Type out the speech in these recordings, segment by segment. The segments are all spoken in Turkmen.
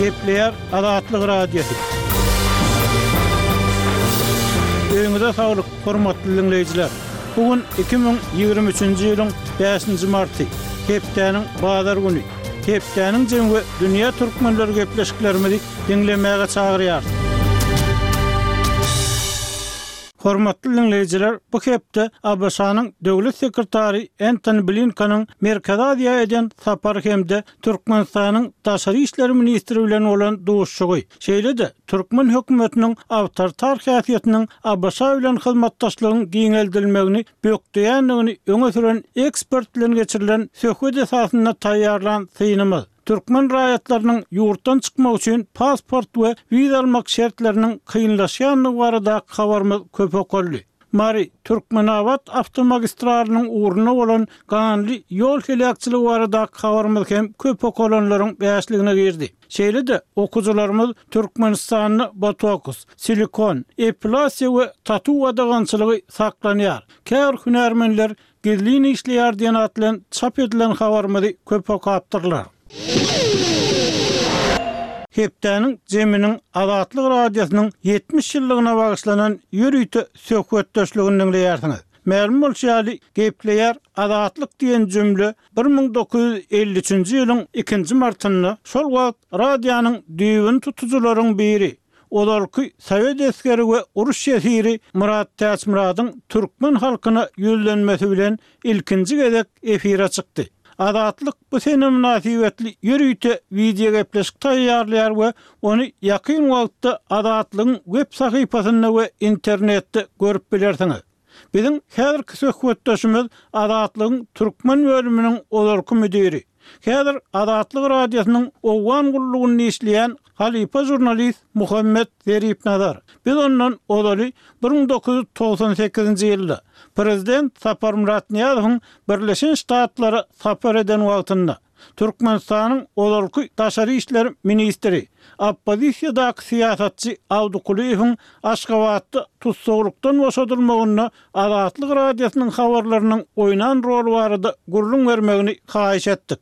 Gepleýär Azatlyk Radiosy. Öýüňize saglyk, hormatly diňleýjiler! Bu gün 2023-nji ýylyň bäşinji marty, hepdäniň bazar güni. Hepdäniň jemi we dünýä türkmenleri gepleşiklerimizi diňlemäge çagyrýarys. Hormatly diňleýjiler, bu hepde ABŞ-nyň Döwlet sekretary Entoni Blinkeniň Merkezi Aziýa eden sapary hem-de Türkmenistanyň daşary işler ministri bilen bolan duşuşygy, şeýle-de türkmen hökümetiniň awtoritar häsiýetiniň ABŞ bilen hyzmatdaşlygyň giňeldilmegini bökdeýändigini öňe süren ekspert bilen geçirilen söhbet esasynda taýýarlan synymyz, türkmen raýatlarynyň ýurtdan çykmak üçin pasport we wiza almak şertleriniň kynlaşýandygy baradaky habarymyz köp okaldy. Mary, Türkmenabat awtomagistralynyň ugrunda bolan ganly ýol heläkçiligi baradaky habarymyz hem köp okalanlaryň bäşligine girdi. Şeýle-de, okyjylarymyz Türkmenistanda botoks, silikon, epilasiýa we tatu gadagançylygy saklanýar, käbir hünärmenler gizlin işleýär diýen at bilen çap edilen habarymyzy köp okapdyrlar. Hepdäniň jeminiň Azatlyk Radiosynyň 70 ýyllygyna bagyşlanan ýörite söhbetdeşligini diňleýärsiňiz. Mälim bolşy ýaly, Gepleýär Azatlyk diýen jümle 1953-nji ýylyň ikinji martynda şol wagt radionyň düýbüni tutujylaryň biri, ozalky sowet esgeri we uruş ýesiri Myrat Täçmyradyň türkmen halkyna ýüzlenmesi bilen ilkinji gezek efire çykdy. Azatlyk bu sene mynasybetli ýörite wideogepleşik taýýarlaýar we ony ýakyn wagtda Azatlygyň web sahypasynda we internetde görüp bilersiňiz. Biziň häzirki söhbetdeşimiz Azatlygyň türkmen bölüminiň ozalky müdiri, häzir Azatlyk Radiosynyň Owgan gullugynda işleýän halypa žurnalist Muhammet Zeripnazar. Biz ondan ozaly 1998-nji ýylda, prezident Saparmyrat Nyýazowyň Birleşen Ştatlara sapar eden wagtynda, Türkmenistanyň ozalky daşary işler ministri, oppozisiýadaky syýasatçy Awdy Kulyýewiň Aşgabatda tussaglykdan boşadylmagynda Azatlyk Radiosynyň habarlarynyň oýnan roly barada gürrüň bermegini haýyş etdik.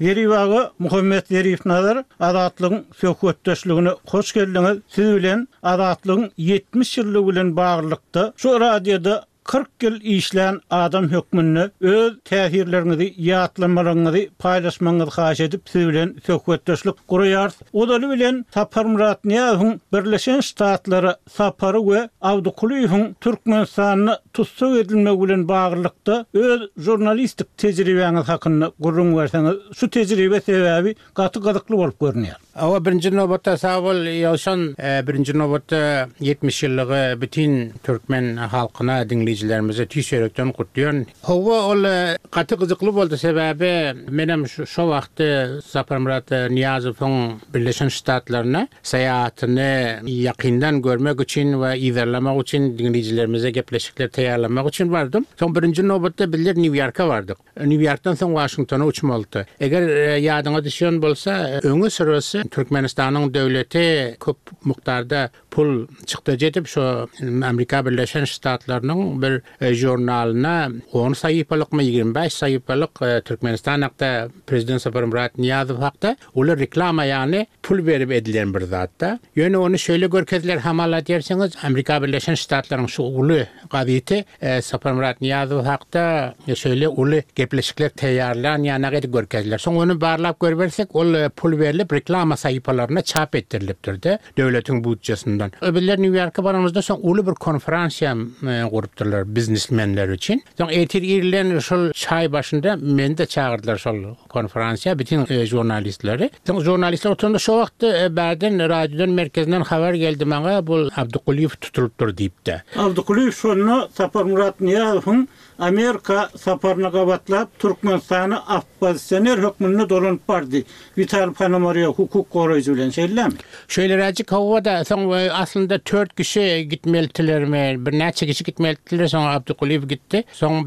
Zerip aga, Muhammet Zeripnazar, Azatlygyň söhbetdeşligine hoş geldiňiz. Siz bilen Azatlygyň 70 ýyllygy bilen baglylykda şu radioda 40 ýyl işlän adam hökmünde öz täsirleriňizi, ýatlamalaryňyzy paýlaşmagyňyzy haýyş edip, siz bilen söhbetdeşlik guraýarys. Ozaly bilen Saparmyrat Nyýazowyň Birleşen Ştatlara sapary we Abdy Kulyýewiň Türkmenistanda tussag edilmegi bilen baglylykda öz žurnalistik tejribäňiz hakynda gürrüň berseňiz, şu tejribe sebäbi gaty gyzykly bolup görünýär. Hawa, birinji nobatda sag bol, Ýowşan. Birinji nobatda 70 ýyllygy bütin türkmen halkyna, diňleýjilerimize tüýs ýürekden gutlaýan. Hawa, ol gaty gyzykly boldy, sebäbi menem şo wagtda Saparmyrat Nyýazowyň Birleşen Ştatlaryna syýahatyny ýakyndan görmek üçin we yzarlamak üçin, diňleýjilerimize gepleşikler taýýarlamak üçin bardym. Soň birinji nobatda bizler Nýu-Ýorka bardyk. Nýu-Ýorkdan soň Waşingtona uçmalydy. Eger ýadyňa düşýän bolsa, öňi syrasy Türkmenistanyň döwleti köp mukdarda pul çykdajy edip, şo Amerika Birleşen Ştatlarynyň bir žurnalyna on sahypalykmy, 25 sahypalyk Türkmenistan hakda, prezident Saparmyrat Nyýazow hakda uly reklama ýaly pul berip edilen bir zat-da. Ýöne ony şeýle görkezdiler hamala diýersiňiz, Amerika Birleşen Ştatlaryň şu uly gazeti Saparmyrat Nyýazow hakda şeýle uly gepleşikler taýýarlan ýanak edip görkezdiler. Soň ony barlap görübersek, ol pul berlip reklama sahypalarynda çap etdirilipdir-de, döwletiň budjesinden. Bizler Nýu-Ýorka baranymyzda soň uly bir konferansiýa gurupdyrlar biznesmenler üçin. Soň ertir irden şol çaý başynda meni-de çagyrdylar şol Konferansiýa bütin žurnalistleri. Soň žurnalistler oturanda şo wagtda bärden radiodan merkezinden habar geldi maňa bul Abdykulyýew tutulypdyr diýip-de. Abdykulyýew şonda Saparmyrat Nyýazowyň Amerika saparyna gabatlap Türkmenistana oppozisioner hökmünde dolanyp bardy. Witaliý Ponomarýow hukuk goraýjy bilen şeýlemi? Şeýleräjik hawa-da soň aslynda tört kişi gitmelitilermi birnäçe kişi gitmelitiler soň Abdykulyýew gitdi. Soň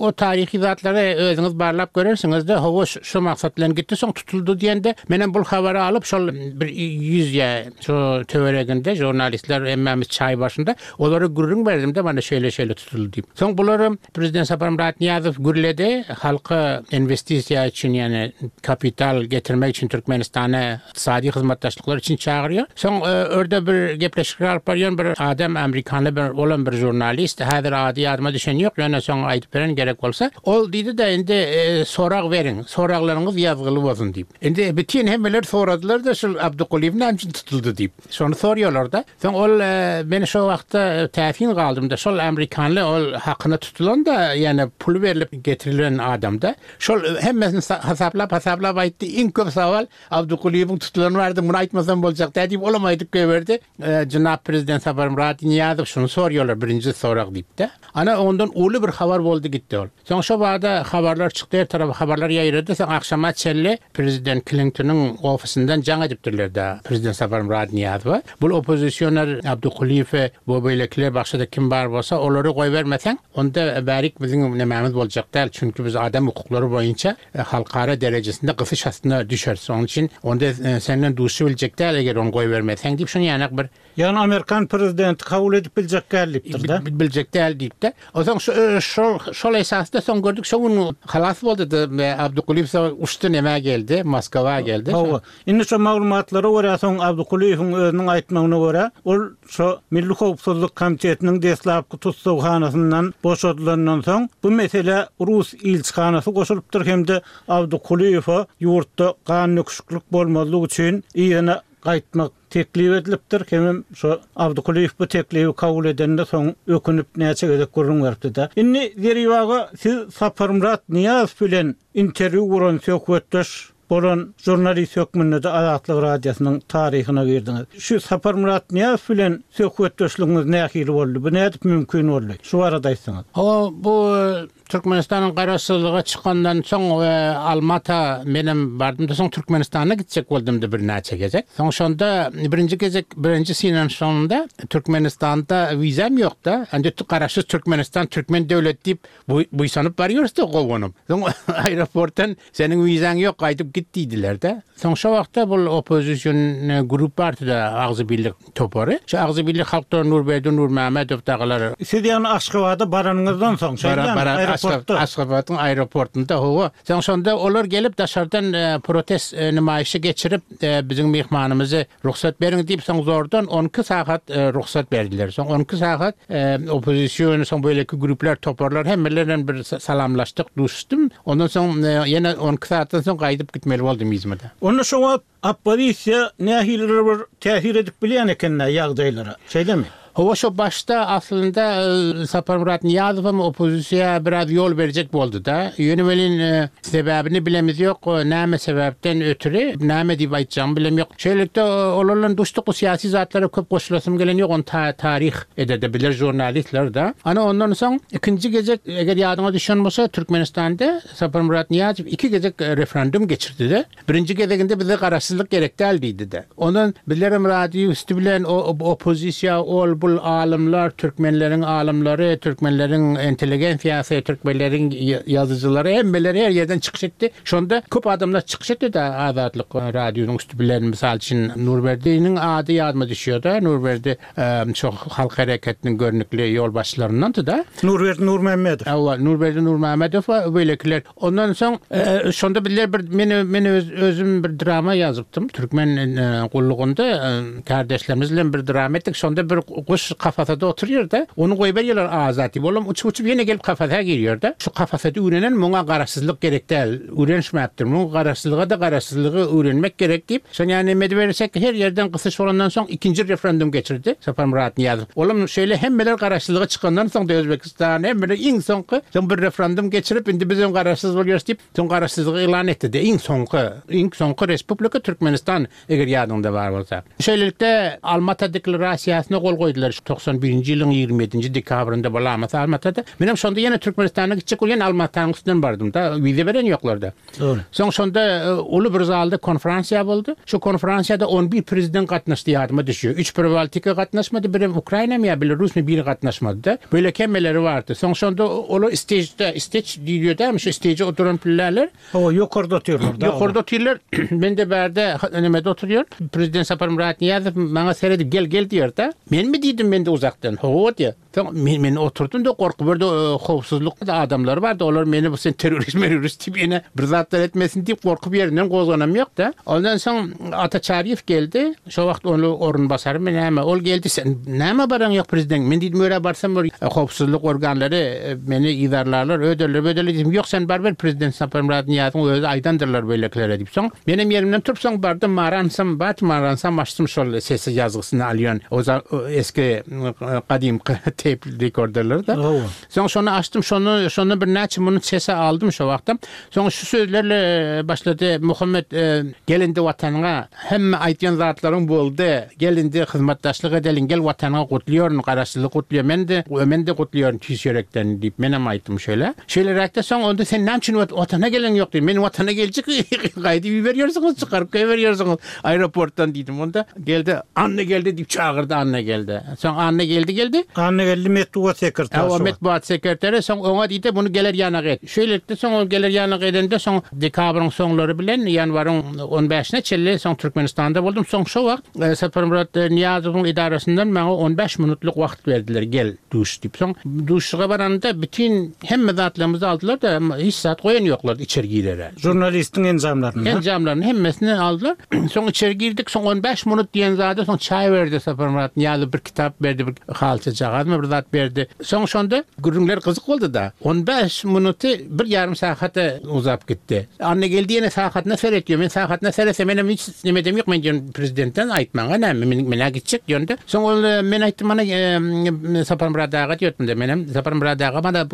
o taryhy zatlary özüňiz barlap görersiňiz-de, hawa, şo maksat bilen gitdi, soň tutuldy diýende, menem bul habary alyp, şol bir ýüz ýa şo töwereginde žurnalistler hemmämiz çaý başynda, olara gürrüň berdim-de, mana şeýle-şeýle tutuldy diýip. Soň bularam. Prezident Saparmyrat Nyýazow gürledi, halka inwestisiýa üçin, ýagny kapital getirmek üçin Türkmenistana ykdysady hyzmatdaşlyklar üçin çagyrýar. Soň örde bir gepleşikler alyp barýan bir adam, amerikanly bir, olam bir žurnalist, häzir ady ýadyma düşen ýok, ýöne soň aýdyp bererin gerek bolsa. Ol diýdi-de, indi sorag beriň, soraglaryňyz ýazgyly bolsun diýip. Indi bütin hemmeler soradylar-da, şul Abdykulyýew näme üçin tutuldy diýip. Şony sorýarlar-da. Soň ol men şo wagtda täsin galdym-da, şol amerikanly ol hakyna tutulan-da, ýöne puly berlip getirilen adam-da. Şol hemmesini hasaplap-hasaplap aýtdy, iň köp sowal Abdykulyýewiň tutulany bardy, muny aýtmasam boljak däl diýip, olam aýdyp goýberdi. Jenap prezident Saparmyrat Nyýazow şuny sorýarlar, birinji sorag diýip-de. Ana, ondan uly bir habar boldy gitdi ol. Soň şo bada habarlar çykdy, her tarapa habarlar ýaýrady. Soň agşama çenli prezident Klintonyň ofisinden jaň edipdirler-de prezident Saparmyrat Nyýazowa. Bul oppozisioner Abdykulyýewi we beýlekiler başga-da kim bar bolsa, olary goýbermeseň, onda bärik biziň nemämiz boljak däl, çünki biz adam hukuklary boýunça halkara derejesinde gysyş astyna düşeris. Onuň üçin onda senden duşup biljek däl, eger ony goýbermeseň diýip, şuny ýanak bir Ýagny amerikan prezidenti kabul edip biljek däl diýipdir-de. Biljek däl diýipdir. Onsoň şol şol esasda soň gördük şo gün halas boldy-da Abdykulyýew soň uçdy nämä geldi, Moskwa geldi. Hawa. Indi şo maglumatlara görä soň Abdykulyýewiň özüniň aýtmagyna görä, ol şo Milli howpsuzlyk komitetiniň deslapky tussaghanasyndan boşadylandan soň bu meselä rus ilçihanasy goşulypdyr hem-de Abdykulyýewe ýurtda gan döküşiklik bolmazlyk üçin yzyna gaýtmak teklip edilipdir hemem şo Abdykulyýew bu teklibi kabul edende soň ökünip näçe gezek gürrüň beripdi-de. Indi Zerip aga siz Saparmyrat Nyýazow bilen interwýu guran söhbetdeş bolan žurnalist hökmünde-de Azatlyk Radiosynyň taryhyna girdiňiz. Şu Saparmyrat Nyýazow bilen söhbetdeşligiňiz nähili boldy? Bu nädip mümkin boldy? Şu barada aýtsaňyz. Hawa, bu Türkmenistanyň garaşsyzlyga çykandan soň Almata menem bardym-da, soň Türkmenistana gitjek boldum-da birnäçe gezek. Soň şonda birinji gezek, birinji synanyşygymda Türkmenistanda wizam ýok-da. Indi garaşsyz Türkmenistan, türkmen döwleti diýip buýsanyp barýarys-da gowanyp. Soň aeroportdan seniň wizaň ýok, gaýdyp git diýdiler-de. Soň şo wagtda bul oppozision grup bardy-da, Agzybirlik topary. Şo Agzybirlik halkdan Nurberdi Nurmämmedow dagylar. Siz ýagny Aşgabada baranyňyzdan soň, şeýdemi, aeroportda? Aşgabadyň aeroportynda, hawa. Soň şonda olar gelip daşardan protest nemaýyşy geçirip, biziň myhmanymyzy rugsat beriň diýip, soň zordan 12 sagat rugsat berdiler. Soň 12 sagat oppozision, soň beýleki gruplar, toparlar hemmeler bilen bir salamlaşdyk, duşuşdym. Ondan soň ýene 12 sagatdan soň gaýdyp gitmeli boldum yzyma-da. Onda şo wagt Oppozisiýa nähilidir bir täsir edip bilýän eken-dä ýagdaýlara, şeýlemi? Hawa, şo başda aslynda Saparmyrat Nyýazowam oppozisiýa biraz ýol berjek boldy-da. Ýöne welin sebäbini bilemiz ýok, näme sebäpden ötri, näme diýip aýtjagymy bilem ýok. Şeýlelikde olar bilen duşduk, bu syýasy zatlara köp goşulasym gelen ýok, ony taryh eder-de biler žurnalistler-de. Ana ondan soň ikinji gezek, eger ýadyňa düşen bolsa, Türkmenistanda Saparmyrat Nyýazow iki gezek referendum geçirdi-de. Birinji gezeginde bize garaşsyzlyk gerek däl diýdi-de. Ondan bizlerem radio üsti bilen oppozisiýa ol bul alymlar, türkmenleriň alymlary, türkmenleriň intelligensiýasy, türkmenleriň ýazyjylary hemmeler her ýerden çykyş etdi. Şonda köp adamlar çykyş etdi-de Azatlyk radionyň üsti bilen mysal üçin Nurberdiniň ady ýadyma düşýär-de, Nurberdi şo halk hereketiniň görnükli ýolbaşçylaryndandy-da. Nurberdi Nurmämmedow. Hawa, Nurberdi Nurmämmedow we beýlekiler. Ondan soň şonda bizler bir men men öz özüm bir drama ýazypdym. Türkmen gullugynda kärdeşlerimiz bilen bir drama etdik. Şonda bir guş kafasada oturýar-da, ony goýberýärler azat diýip. Olam uçup-uçup ýene gelip kafasa girýär-de. Şu kafasada öwrenen muňa garaşsyzlyk gerek däl, öwrenişmäpdir. Muň garaşsyzlyga-da garaşsyzlygy öwrenmek gerek diýip, şony ýa neme edibersek, her ýerden gysyş bolandan soň ikinji referendum geçirdi Saparmyrat Nyýazow. Olam şeýle hemmeler garaşsyzlyga çykandan soň-da Özbekistan Özbegistan hemmeler iň soňky soň bir referendum geçirip indi bizem garaşsyz bolýarys diýip soň garaşsyzlygy yglan etdi-de iň soňky iň soňky respublika Türkmenistan eger ýadyňda bar bolsa. Şeýlelikde Almata deklarasiýasyna gol goýdular 91-nji ýylyň 27-nji dekabrynda bolamasa Almatada. Menem şonda ýene Türkmenistana gitjek bolýan Almatanyň üstünden bardym-da wiza beren ýoklarda. Dogry. Soň şonda uly bir zalda konferansiýa boldy. Şu konferansiýada on bir prezident gatnaşdy ýadyma düşýär. Üç Pribaltika gatnaşmady, birem Ukrainamy ýa Belarusmy biri gatnaşmady-da. Beýleki hemmeleri bardy. Soň şonda olar istežde, isteç diýilýär dämi, şu isteje oturan pilleler. Hawa, ýokarda otyrlar-da. Ýokarda otyrlar. Men-de bärde nemede oturýan. Prezident Saparmyrat Nyýazow maňa seredip gel, gel diýýär-de. Menmi diýdim men-de uzakdan. Hawa diýýär. Soň men, men oturdym-da gorky birde howpsuzlyk adamlary bardy, olar meni bu sen terrorist merorist diýip ýene bir zatlar etmesin diýip gorkup ýerinden gozganam ýok-da. Ondan soň Ata Çaryýew geldi. Şo wagt ony orunbasarymy näme, ol geldi, sen nämä baraň ýok prezident? Men diýdim, örä barsam bir howpsuzlyk organlary meni yzarlarlar, öderler, böderler diýdim. Ýok, sen baryber, prezident Saparmyrat Nyýazowyň özi aýdandyrlar beýlekilere diýip. Soň menem ýerimden turup soň bardym, Maransam, bat Maransam açdym şol sesi ýazgysyny alýan o eski gadymky teýp rekorderleri-de. Soň şony açdym, şony şondan birnäçe minut sesi aldym şo wagtam. Soň şu sözlerle başlady, Muhammet, gel indi Watanyňa, hemme aýdýan zatlaryň boldy, gel indi hyzmatdaşlyk edeliň, gel Watanyňa gutlaýaryn, Garaşsyzlygy gutlaýaryn, men-de, men-de gutlaýaryn tüýs ýürekden diýip, menem aýtdym şeýle. Şeýleräkde soň onda sen näme üçin Watana geleň ýok diýdim. Men Watana geljek, gaýdyp iberýärsiňiz, çykaryp goýberýärsiňiz aeroportdan diýdim. Onda Geldi, Annageldi diýip çagyrdy Annageldi. Soň Annageldi geldi. Annageldi metbugat sekretary şo wagt. Metbugat sekretary, soň oňa diýdi, muny geler ýanak et. Şeýlelikde soň ol geler ýanak edende soň dekabryň soňlary bilen ýanwaryň on bäşine çenli soň Türkmenistanda boldum. Soň şo wagt Saparmyrat Nyýazowyň edarasyndan maňa on bäş minutlyk wagt berdiler, gel duş diýip. Soň duşuşyga baranymda bütin hemme zatlarymyzy aldylar-da, hiç zat goýan ýoklardy içeri girere. Žurnalistiň enjamlaryny. Enjamlaryny hemmesini aldylar. Soň içeri girdik. Soň on bäş minut diýen zada soň çaý berdi Saparmyrat Nyýazow bir kitap berdi, bir halçajagazmy bir zat berdi. Soň şonda gürrüňler gyzyk boldy-da. On bäş minuty bir ýarym sagata uzap gitdi. Annageldi ýene sagatyna seretýär. Men sagatyna seretsem menem hiç nemedem ýok. Men diýen prezidentden aýtmaňa näme, men men-ä gitjek diýende. Soň ol men aýtdym mana Saparmyrat aga diýipdim-de menem. Saparmyrat aga mana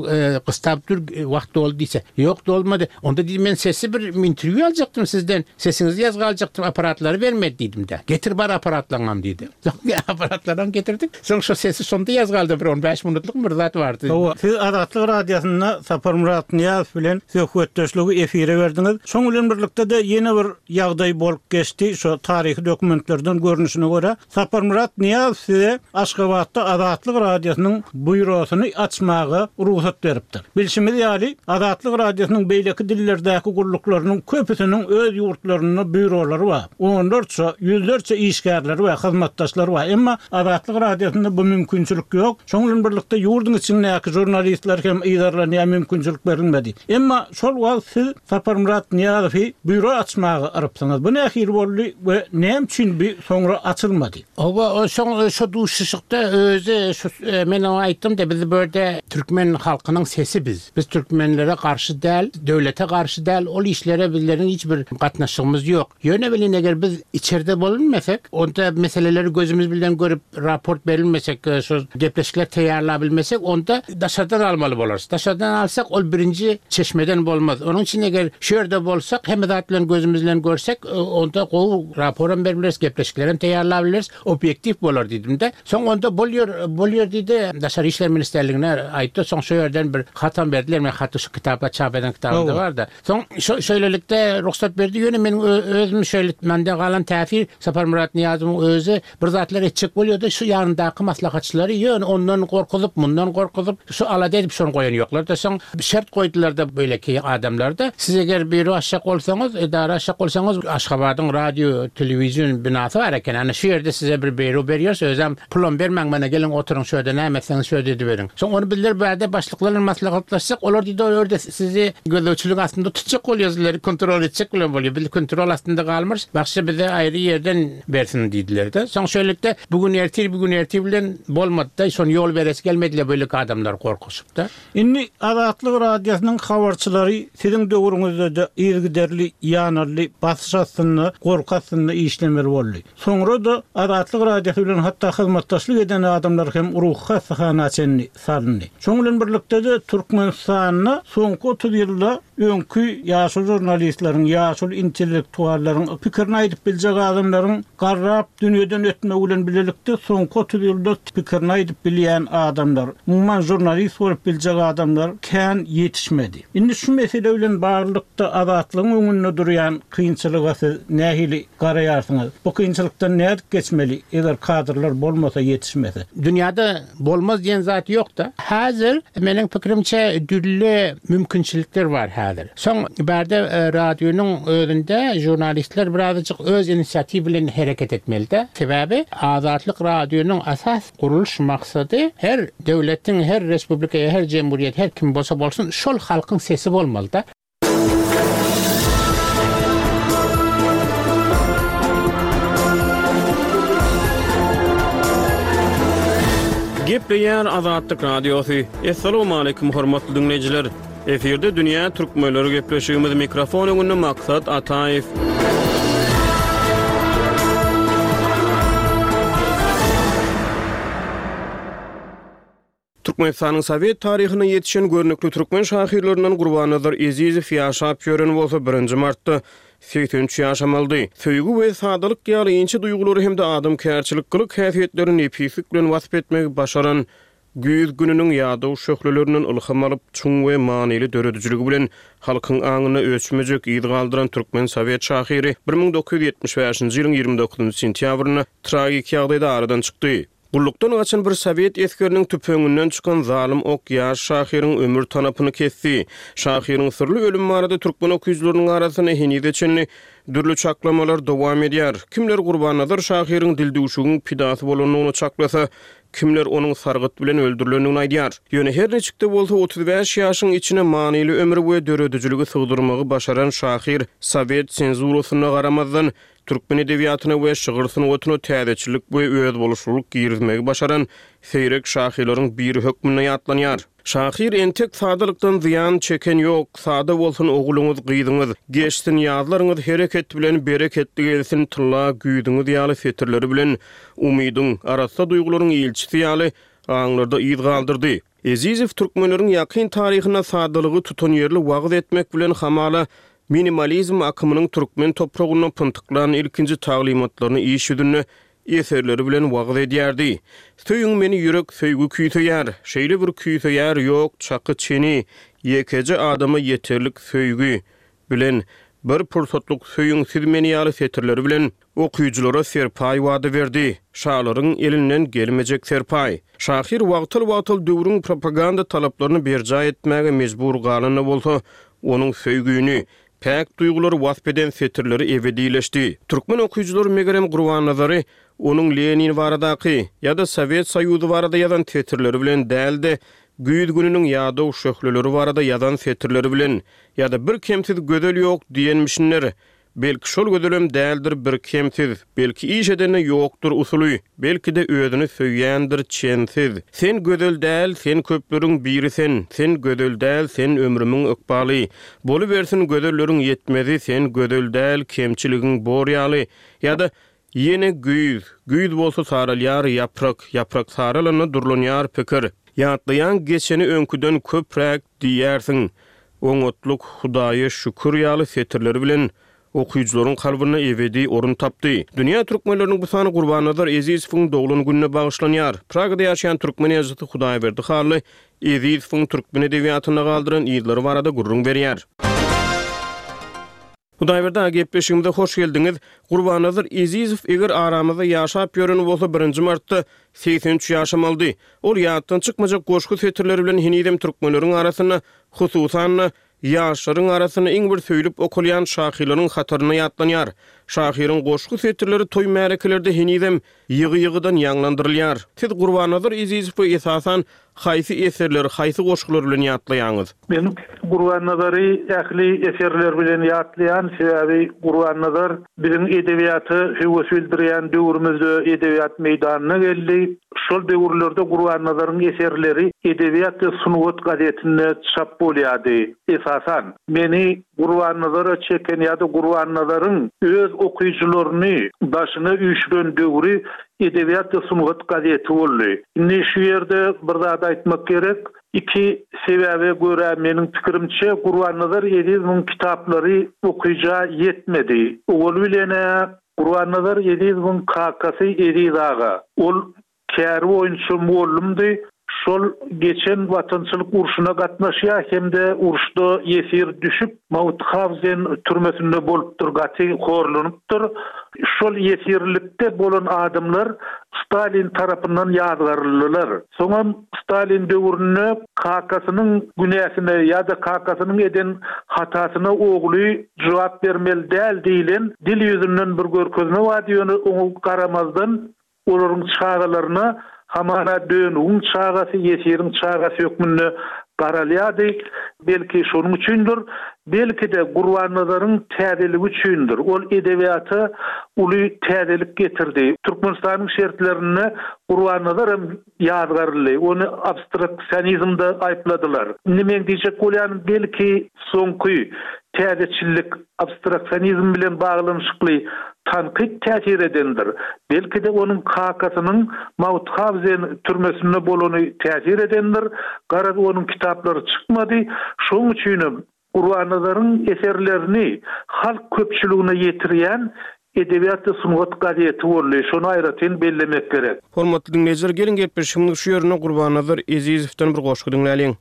gystap dur wagt doldy diýse. Ýok dolmady. Onda diýdim men sesi bir interwýu aljakdym sizden. Sesiňizi ýazga aljakdym apparatlary bermedi diýdim-de. Getir bar apparatlaňam diýdi. Soň apparatlaram getirdik. Soň şo sesi şonda ýazga aldym bir on bäş minutlykmy bir zat bardy. Hawa, siz Azatlyk Radiosynda Saparmyrat Nyýazow bilen söhbetdeşligi efire berdiňiz. Şoň bilen birlikde-de ýene bir ýagdaý bolup geçdi, şo taryhy dokumentlerden görnüşine görä, Saparmyrat Nyýazow size Aşgabatda Azatlyk Radiosynyň býurosyny açmaga rugsat beripdir. Bilşimiz ýaly, Azatlyk Radiosynyň beýleki dillerdäki gulluklarynyň köpüsiniň öz ýurtlarynda býurolary bar, onlarça, ýüzlerçe işgärleri we hyzmatdaşlary bar. Emma Azatlyk Radiosynda bu mümkinçilik ýok. Şonuň bilen birlikde ýurduň içindäki žurnalistler hem yzarlanýar, mümkinçilik berilmedi. Emma şol wagt siz Saparmyrat Nyýazowy býuro açmaga yrypsyňyz. Bu nähili boldy we näme üçin bu soňra açylmady? Hawa, o soň şo duşuşykda özi şu men oňa aýtdym-da, biz bu ýerde türkmen halkynyň sesi biz. Biz türkmenlere garşy däl, döwlete garşy däl, ol işlere bizleriň hiç bir gatnaşygymyz ýok. Ýöne welin eger biz içerde bolunmasak, onda meseleleri gözümiz bilen görüp raport berilmesek, şo gepleşikler taýýarlabilmesek, onda daşardan almaly bolarys. Daşardan alsak, ol birinji çeşmeden bolmaz. Onuň üçin eger şu ýerde bolsak, hemme zat bilen gözümiz bilen görsek, onda gowy raporam berip bileris, gepleşiklerem taýýarlabileris, obýektiw bolar diýdim-de. Soň onda bolýar, bolýar diýdi. Daşary işler ministrligine aýtdy. Soň şo ýerden bir hatam berdiler. Men haty şu kitapda çap eden kitabymda bar-da. Soň şo şeýlelikde rugsat berdi. Ýöne meniň özüm şeýle mende galan täsir Saparmyrat Nyýazowyň özi bir zatlar etjek bolýardy. Şu ýanyndaky maslahatçylary ýöne ondan gorkuzyp, mundan gorkuzyp, şu alada edip şony goýan ýoklar-da. Soň şert goýdular-da beýleki adamlar-da. Siz eger býuro açjak bolsaňyz, edara açjak bolsaňyz, Aşgabadyň radio, telewizion binasy bar eken. Ana şu ýerde size bir býuro berýäris. Özem Pulam bermäň mana geliň oturyň şu ýerde näme etseňiz şu ýerde ediberiň. Soň ony bizler bärde başlyklar bilen maslahatlaşsak olar diýdi ol ýerde sizi gözegçilik astynda tutjak bolýar sizleri kontrol etjek bilen bolýar biz kontrol astynda galmarys bagşy bize aýry ýerden bersin diýdilerde. Soň şeýlelikde bu gün ertir bu gün ertir bilen bolmadyda şony ýol beresi gelmediler beýleki adamlar gorkuşypda. Indi Azatlyk Radiosynyň habarçylary siziň döwrüňizde-de yzygiderli ýanaldy basyş astynda gorky astynda işlemeli boldy. Soňra-da Azatlyk Radiosy bilen hatda hyzmatdaşlyk eden adamlar hem ruhy hassahana çenli salyndy. Şonuň bilen birlikde-de Türkmenistanda soňky 30 ýylda öňki ýaşuly žurnalistleriň, ýaşuly intellektuallaryň, pikirini aýdyp biljek adamlaryň garrap dünýeden ötmegi bilen bilelikde soňky 30 ýylda pikirini aýdyp bilýän adamlar, umuman žurnalist bolup biljek adamlar kän ýetişmedi. Indi şu mesele bilen baglylykda Azatlygyň öňünde durýan kynçylyga siz nähili garaýarsyňyz? Bu kynçylykdan nädip geçmeli, eger kadrlar bolmasa, ýetişmese? Dünýäde bolmaz diýen zat ýok-da. Häzir, meniň pikirimçe, dürli mümkinçilikler bar häzir. häzir. Soň bärde radionyň özünde žurnalistler birazajyk öz inisiatiw bilen hereket etmelide. Sebäbi Azatlyk radionyň esas gurulyş maksady her döwletiň, her respublika ýa her jemgyýet, her kim bolsa bolsun şol halkyň sesi bolmalyda. Gepleýär Azatlyk Radiosy. Assalamualaikum hormatly diňleýjiler. Efirde dünýä türkmenleri gepleşigimiz mikrofon öňünde Maksat Ataýew. Türkmenistanyň sowet taryhynda ýetişen görnükli türkmen şahyrlaryndan Gurbannazar Ezizow ýaşap ýören bolsa birinji martda 83 ýaşamalydy. Söýgi we sadalyk ýaly inçe duýgulary hem-de adamkärçilik gylyk-häsiýetlerini nepislik bilen wasp etmegi başaran Güýz gününiň ýadaw şöhlelerinden ylham alyp, çuň we manyly döredijiligi bilen halkyň aňynda öçmejek yz galdyran türkmen sowet şahyry 1975-nji ýylyň 29 sentýabrynda tragik ýagdaýda aradan çykdy. Gullukdan gaçan bir sowet esgeriniň tüpeňinden çykan zalym ok ýaş şahyryň ömür tanapyny kesdi. Şahyryň syrly ölümi barada türkmen okyjylarynyň arasynda henize çenli dürli çaklamalar dowam edýär. Kimler Gurbannazar şahyryň dildüwşügiň pidasy bolandygyny çaklasa, kimler onuň sargyt bilen öldürilendigini aýdýar. Ýöne her niçik-de bolsa, 35 ýaşyň içine manyly ömri we döredijiligi sygdyrmagy başaran şahyr sowet senzurasyna garamazdan, Türkmen edebiýatyna we şygyr sungatyna täzeçillik we özboluşlylyk girizmegi başaran seýrek şahyrlaryň biri hökmünde ýatlanýar. Şahyr entek sadalykdan zyýan çeken ýok, sada bolsun ogulyňyz, gyzyňyz, geçsin ýazlaryňyz hereket bilen bereketli gelsin tylla güýzüňiz ýaly setirleri bilen umydyň, arassa duýgularyň ilçisi ýaly aňlarda yz galdyrdy. Ezizow türkmenleriň ýakyn taryhynda sadalygy tutanýerli wagyz etmek bilen hamala minimalizm akymynyň türkmen topragynda pyntyklan ilkinji taglymatlaryny iş ýüzünde eserleri bilen wagyz edýärdi. Söýüň meni ýürek söýgi küýseýär, şeýle bir küýseýär ýok çaky çeni, ýekeje adama ýeterlik söýgi, bilen, Bir pursatlyk söýüň siz meni ýaly setirleri bilen okyjylara serpaý wada berdi. Şalaryň elinden gelmejek serpaý. Şahyr wagtal-wagtal döwrüň propaganda talaplaryny berjaý etmäge mejbur galan-da bolsa, onuň söýgüni, päk duýgulary wasp eden setirleri ebedileşdi. Türkmen okyjylary megerem Gurbannazary onuň Lenin baradaky ýa-da Sowet Soýuzy barada ýazan setirleri bilen däl-de, güýz gününiň ýadaw şöhleleri barada ýazan setirleri bilen Ýa-da bir kemsiz gözel ýok diýenmişinler. Belki şol gözelem däldir bir kemsiz, belki iş edende ýokdur usuly, belki-de özüni söýýändir çensiz. Sen gözel däl, sen köpleriň biri sen, sen gözel däl, sen ömrümiň ykbaly. Bolubersin gözelleriň ýetmezi, sen gözel däl, kemçiligiň bor ýaly. Ýa-da Ýene güýz, güýz bolsa saralýar ýaprak, ýaprak saralanda durlanýar pikir. Ýatlaýaň geçeni öňküden köpräk diýýärsiň. Oňatlyk, Hudaýa şükür ýaly setirleri bilen okyjylaryň kalbynda ebedi orun tapdy. Dünýä türkmenleriniň bu sany Gurbannazar Ezizowyň doglan gününe bagyşlanýar. Pragada ýaşaýan türkmen ýazyjysy Hudaýberdi Hally Ezizowyň türkmen edebiýatynda galdyran yzlary barada gürrüň berýär. Hudaýberdi aga gepleşigimize hoş geldiňiz. Gurbannazar Ezizow eger aramyzda ýaşap ýören bolsa birinji martda 83 ýaşamalydy. Ol ýatdan çykmajak goşgy setirleri bilen henizem türkmenleriň arasynda hususan-da ýaşlaryň arasynda iň bir söýlüp okalýan şahyrlaryň hatarynda ýatlanýar. Şahyryň goşgy setirleri toý-märekelerde henizem ýygy-ýygydan ýaňlandyrylýar. Siz Gurbannazar Ezizowy esasan haýsy eserleri, haýsy goşgular bilen ýatlaýaňyz? Men Gurbannazary ähli eserleri bilen ýatlaýan, sebäbi Gurbannazar biziň edebiýata höwes bildirýän döwrümizde edebiýat meýdanyna geldi. Şol döwürlerde Gurbannazaryň eserleri Edebiýat we sungat gazetinde çap bolýardy. Esasan, meni Gurbannazara çeken ýa-da Gurbannazaryň öz okyjylaryny daşyna üýşüren döwri Edebiýat we sungat gazeti boldy. Indi şu ýerde bir zat aýtmak gerek. Iki sebäbe görä meniň pikirimçe Gurbannazar Ezizowyň kitaplary okyja ýetmedi. Owaly bilen-ä Gurbannazar Ezizowyň kakasy Eziz aga. Ol käri boýunça mugallymdy. Şol geçen Watançylyk urşuna gatnaşýar hem-de uruşda ýesir düşüp, Mauthauzen türmesinde bolupdyr, gaty horlanypdyr. Şol ýesirlikde bolan adamlar Stalin tarapyndan ýazgaryldylar. Soňam Stalin döwründe kakasynyň günäsine ýa-da kakasynyň eden hatasyna ogly jogap bermeli däl diýlen dil ýüzünden bir görkezme bardy, ýöne oňa garamazdan Olaryň çagalaryna hamana dönügiň çagasy, ýesiriň çagasy hökmünde garalýardy. Belki, şonuň üçindir. Belki-de, Gurbannazaryň täzeligi üçindir. Ol edebiýata uly täzelik getirdi. Türkmenistanyň şertlerinde Gurbannazar hem ýazgaryldy. Ony abstraksionizmde aýypladylar. Indi meň diýjek bolýanym, belki, soňky täzeçillik abstraksionizm bilen baglanyşykly tankyt täsir edendir. Belki-de, onuň kakasynyň Mauthauzen türmesinde bolany täsir edendir. Garaz, onuň kitaplary çykmady. Şonuň üçinem Gurbannazaryň eserlerini halk köpçüligine ýetirýän Edebiýat we sungat gazeti boldy. Şony aýratyn bellemek gerek. Hormatly diňleýjiler, geliň gepleşigimiziň şu ýerinde Gurbannazar Ezizowdan bir goşgy diňläliň.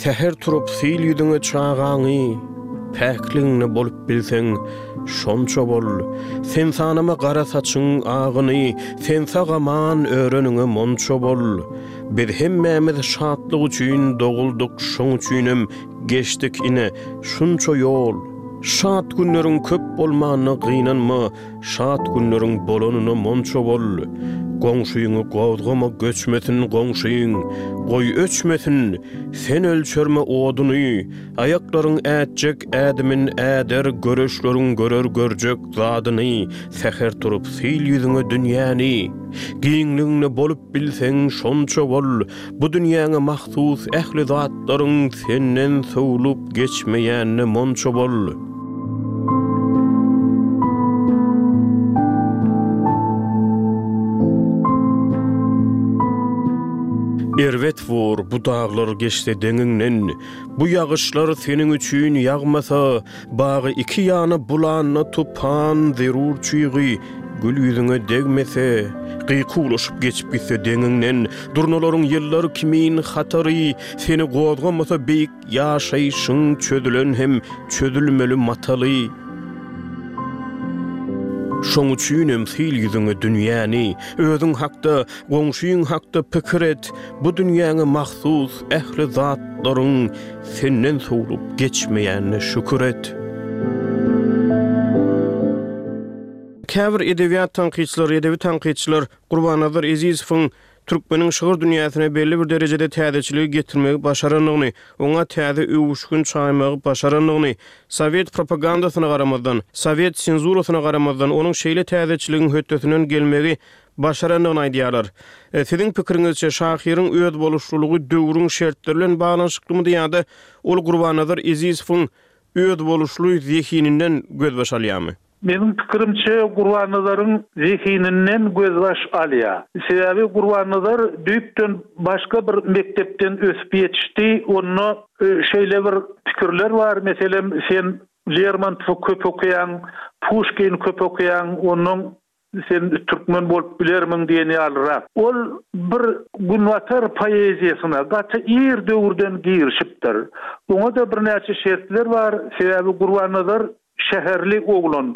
Säher turup sil ýüzüňe çagaňy, Päkligiňde bolup bilseň, şonça bol. Sen sanama gara saçyň agyny, Sen sag-aman öreniňe monça bol. Biz hemmämiz şatlyk üçin doguldyk, Şoň üçinem geçdik ine, şunça ýol. Şat günleriň köp bolmanyna gynanma, Şat günleriň bolanyna monça bol. Goňşyňy gozgama göçmesin goňşyň, Goý öçmesin, sen ölçerme oduny. Aýaklaryň ätjek ädimin äder, Göreçleriň görer görjek zadyny. Säher turup sil ýüzüňe dünýäni. Giňligiňde bolup bilseň şonça bol. Bu dünýäňe mahsus ähli zatlaryň senden sowlup geçmeýänine monça bol. Erbet bor bu daglar geçse deňiňden, Bu ýagyşlar seniň üçin ýagmasa, Bagy iki ýana bulanda tupan zerur çygy gül ýüzüňe degmese, gykuwlaşyp geçip gitse deňiňden, durnalaryň ýyllar kimin hatary seni gozgamasa beýik ýaşaýşyň çözülen hem çözülmeli mataly. Şoň üçinem sil ýüzüňe dünýäni, özüň hakda, goňşyň hakda pikir et, bu dünýäňe mahsus ähli zatlaryň Senden sowlup geçmeýänine şükür et. Käbir edebiýat tankytçylary, edebi tankytçylar Gurbannazar Ezizowyň türkmeniň şygyr dünýäsine belli bir derejede täzeçiligi getirmegi başarandygyny, oňa täze öwüşgin çaýmagy başarandygyny, sowet propagandasyna garamazdan, sowet senzurasyna garamazdan, onuň şeýle täzeçiligiň hötdesinden gelmegi başarandygyny aýdýarlar. Siziň pikiriňizçe, şahyryň özboluşlylygy döwrüň şertleri bilen baglanyşyklymydy ýa-da ol Gurbannazar Ezizowyň özboluşly zehininden gözbaş alýarmy? Meniň pikirimçe, Gurbannazaryň zehininden gözbaş alýar. Sebäbi Gurbannazar düýpden başga bir mekdepden ösüp ýetişdi. Onda şeýle bir pikirler bar, meselem, sen Lermontowy köp okaýaň, Puşkini köp okaýaň, onnoň Sen türkmen bolup bilermiň diýen ýalyrak. Ol bir günbatar poeziýasyna gaty ir döwürden girişipdir. Oňa-da birnäçe şertler bar, sebäbi Gurbannazar şäherli oglan.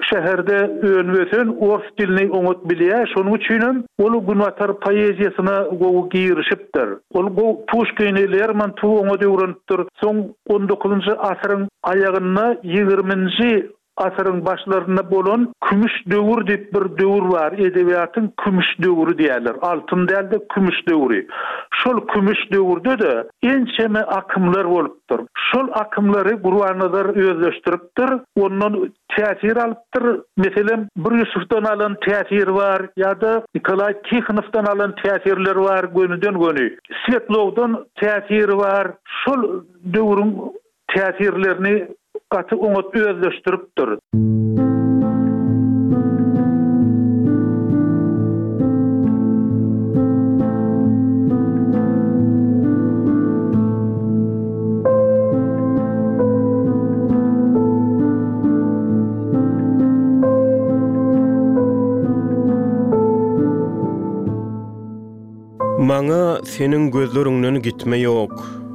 Şäherde önüp-ösen, ors dilini oňat bilýär, şonuň üçinem ol günbatar poeziýasyna gowy girişipdir. Ol gowy Puşkini, Lermontowy oňat öwrenipdir. Soň on dokuzynjy asyryň aýagynda ýigriminji Asyryň başlarynda bolan kümüş döwür diýip bir döwür bar, edebiýatyň kümüş döwri diýýärler, altyn däl-de kümüş döwri. Şol kümüş döwürde-de ençeme akymlar bolupdyr. Şol akymlary Gurbannazar özleşdiripdir, ondan täsir alypdyr. Meselem, Bir Ýusufdan alan täsiri bar ýa-da Nikolaý Tihonowdan alan täsirleri bar gönüden-göni. Swetlowdan täsiri bar. Şol döwrüň täsirlerini gaty oňat özleşdiripdir. Maňa seniň gözleriňden gitme ýok,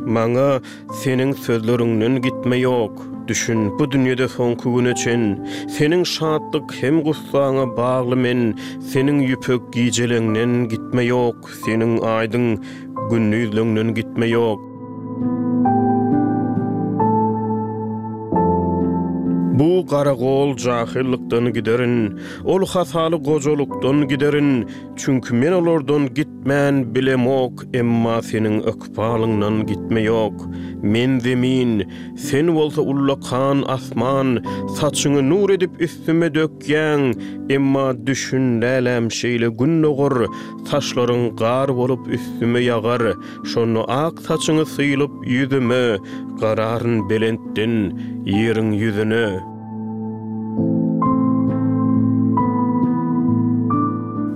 Maňa seniň sözleriňden gitme ýok. Düşün, bu dünýede soňky güne çen, Seniň şatlyk hem gussaňa bagly men, Seniň ýüpek gijeleňden gitme ýok, Seniň aýdyň gündizleňden gitme ýok. Bu garagol jahyllykdan giderin, Ol hasaly gojalykdan giderin, Çünki men olardan gitmän bilemok, Emma seniň ykbalyňdan gitme ýok. Men zemin, sen bolsa ullakan asman, Saçyňy nur edip üstüme dökýäň, Emma düşün läläm şeýle gün dogar, Saçlaryň gar bolup üstüme ýagar, Şonda ak saçyňy sylyp ýüzüme, Gararyn belentden ýeriň ýüzüne.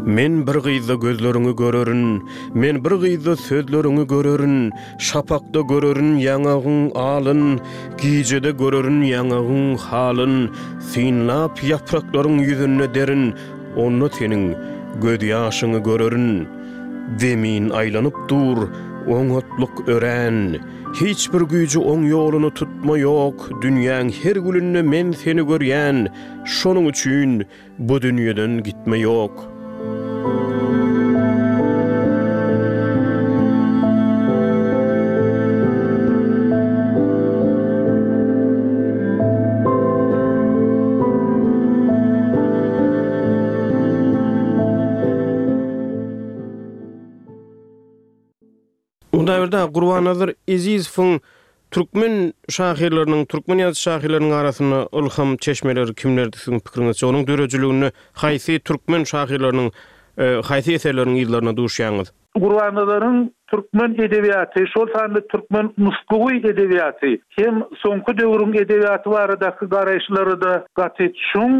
Men bir gyzda gözleriňi görerin, Men bir gyzda sözleriňi görerin, Şapakda görerin ýaňagyň alyn, Gijede görerin ýaňagyň halyn, Synlap ýapraklaryň ýüzünde derin, Onda seniň gözýaşyňy görerin. Zemin aýlanyp dur, oňatlyk örän. Hiç bir güýji oň ýoluny tutma ýok, Dünýäň her gülünde men seni görýän, Şonuň üçin bu dünýeden gitme ýok. Hudaýberdi aga, Gurbannazar Ezizowyň türkmen şahyrlarynyň, türkmen ýazyjy-şahyrlarynyň arasynda ylham çeşmeleri kimlerdi siziň pikiriňizçe? Onuň döredijiliginde haýsy türkmen şahyrlarynyň haýsy eserleriniň yzlaryna duşýaňyz? Gurbannazaryň türkmen edebiýaty, şol sanda türkmen nusgawy edebiýaty hem soňky döwrüň edebiýaty baradaky garaýyşlary-da gaty çuň.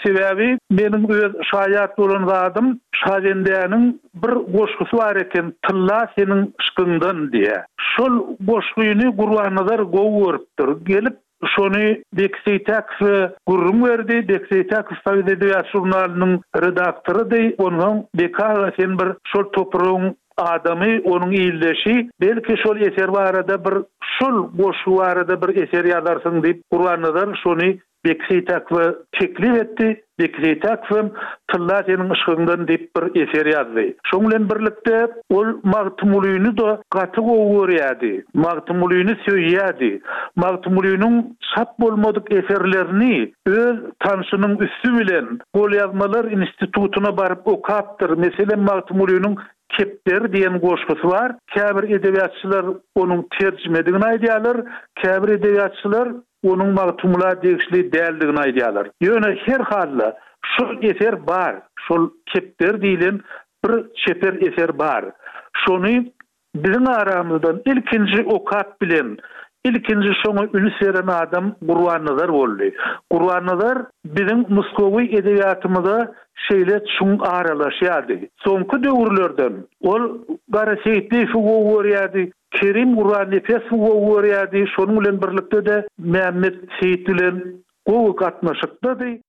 Sebäbi meniň öz şaýat bolan zadym Şabendäniň Bir goşgusy bar eken Tylla seniň yşkyňdan diýä. Şol goşgyny Gurbannazar gowy görüpdir. Gelip şony Beki Seýtäkowa gürrüň berdi. Beki Seýtäkow Sowet edebiýat žurnalynyň redaktorydy. Onsoň Beki aga sen bir şol topragyň adamy, onuň ildeşi, belki şol eser barada bir şol goşgy barada bir eser ýazarsyň diýip Gurbannazar şony Beki Seýtäkowa teklip etdi. Beki Seýtäkow hem Tylla seniň yşgyňdan diýip bir eser ýazdy. Şoň bilen birlikde ol Magtymgulyny-da gaty gowy görýärdi. Magtymgulyny söýýärdi. Magtymgulynyň çap bolmadyk eserlerini öz tanşynyň üsti bilen Golýazmalar institutyna baryp okapdyr. Meselem, Magtymgulynyň Kepderi diýen goşgusy bar. Käbir edebiýatçylar onuň terjimedigini aýdýarlar, käbir edebiýatçylar onuň Magtymgula degişli däldigini aýdýarlar. Ýöne her halda şol eser bar, şol Kepderi diýlen bir çeper eser bar. Şony biziň aramyzdan ilkinji okap bilen, ilkinji şoňa üns beren adam Gurbannazar boldy. Gurbannazar biziň nusgawy edebiýatymyza şeýle çuň aralaşýardy. Soňky döwürlerden ol Gara Seýitliýewi gowy görýärdi, Kerim Gurbannepesowy gowy görýärdi, şonuň bilen birlikde-de Mämmet Seýit bilen gowy gatnaşykdady.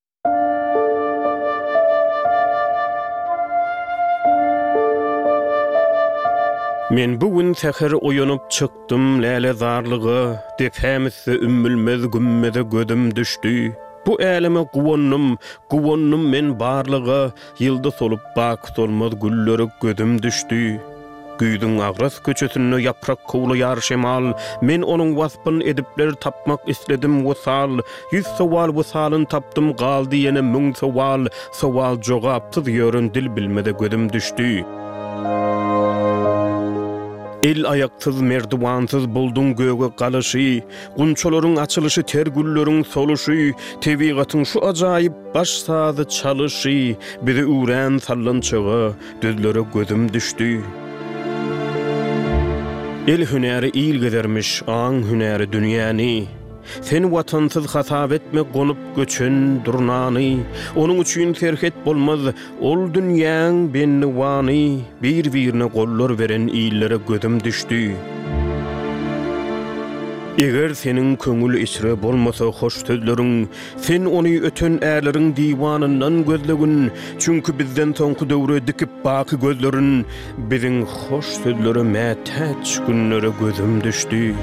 Men bu gün säher oýanyp çykdym lälezarlyga, Depäm üste ümmülmez gümmeze gözüm düşdi. Bu äleme guwandym, guwandym men barlyga, Ýylda solup bak solmaz güllere gözüm düşdi. Güýzüň agras köçesinde ýaprak kowlaýar şemal, Men onuň waspyn edipler tapmak isledim wysal. Ýüz sowal wysalyn tapdym galdy ýene müň sowal, Sowal jogapsyz ýören dil bilmeze gözüm düşdi. El-aýaksyz, merdiwansyz bulduň göge galyşy, Gunçalaryň açylyşy ter gülleriň soluşy, Tebigatyň şu ajaýyp baş sazy çalyşy, Bizi üwrän sallançaga, düzlere gözüm düşdi. El hünäri il gezermiş, aň hünäri dünýäni. Sen Watansyz hasap etme gonup göçen durnany. Onuň üçin serhet bolmaz, ol dünýäň bendiwany. Bir-birine gollar beren illere gözüm düşdi. Eger seniň köňül içre bolmasa hoş sözleriň, Sen ony öten ärleriň diwanyndan gözlegin, Çünki bizden soňky döwre dikip baky gözlerin, Biziň hoş sözlere mätäç günlere gözüm düşdi.